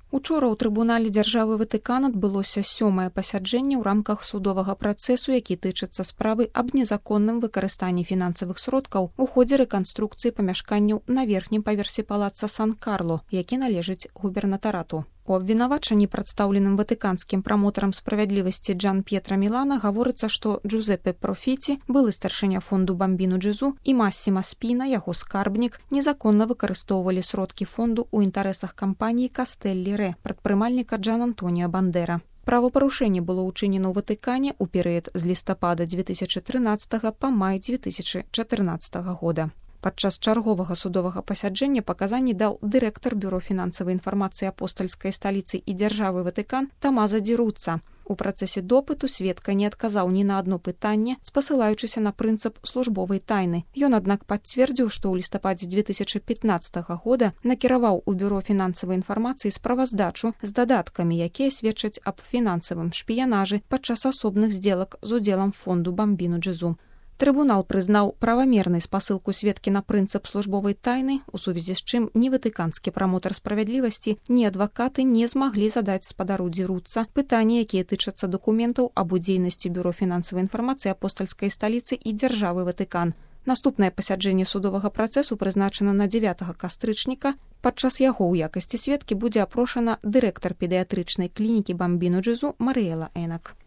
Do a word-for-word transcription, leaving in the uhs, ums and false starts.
Учора ў трыбунале дзяржавы Ватыкан адбылося сёмае пасяджэнне ў рамках судовага працэсу, які тычыцца справы аб незаконным выкарыстанні фінансавых сродкаў у ходзе рэканструкцыі памяшканняў на верхнім паверсе палаца Сан-Карло, які належыць губернатарату. У абвінавачанні, прадстаўленым ватыканскім прамотарам справядлівасці Джан П'етра Мілана, гаворыцца, што Джузеппе Профіці, былы старшыня фонду Бамбіну Джезу, і Массіма Спіна, яго скарбнік, незаконна выкарыстоўвалі сродкі фонду ў інтарэсах кампаніі Кастэллі Рэ, прадпрымальніка Джан Антоніа Бандера. Правапарушэнне было ўчынена ў Ватыкане ў перыяд з лістапада дзве тысячы трынаццатага па май дзве тысячы чатырнаццатага года. Падчас чарговага судовага пасяджэння паказанні даў дырэктар бюро фінансавай інфармацыі апостальскай сталіцы і дзяржавы Ватыкан Тамаза Ді Руцца. У працэсе допыту сведка не адказаў ні на адно пытанне, спасылаючыся на прынцып службовай тайны. Ён, аднак, пацвердзіў, што ў лістападзе дзве тысячы пятнаццатага года накіраваў у бюро фінансавай інфармацыі справаздачу з дадаткамі, якія сведчаць аб фінансавым шпіянажы падчас асобных здзелак з удзелам фонду Бамбіну Джезу. Трыбунал прызнаў правамернай спасылку сведкі на прынцып службовай тайны, у сувязі з чым ні ватыканскі прамотар справядлівасці, ні адвакаты не змаглі задаць спадару Ді Руцца пытанні, якія тычацца дакументаў аб удзейнасці бюро фінансавай інфармацыі апостальскай сталіцы і дзяржавы Ватыкан. Наступнае пасяджэнне судовага працэсу прызначана на дзевятага кастрычніка. Падчас яго ў якасці сведкі будзе апрошана дырэктар педыятрычнай клінікі Бамбіну Джезу Марыэла Энак.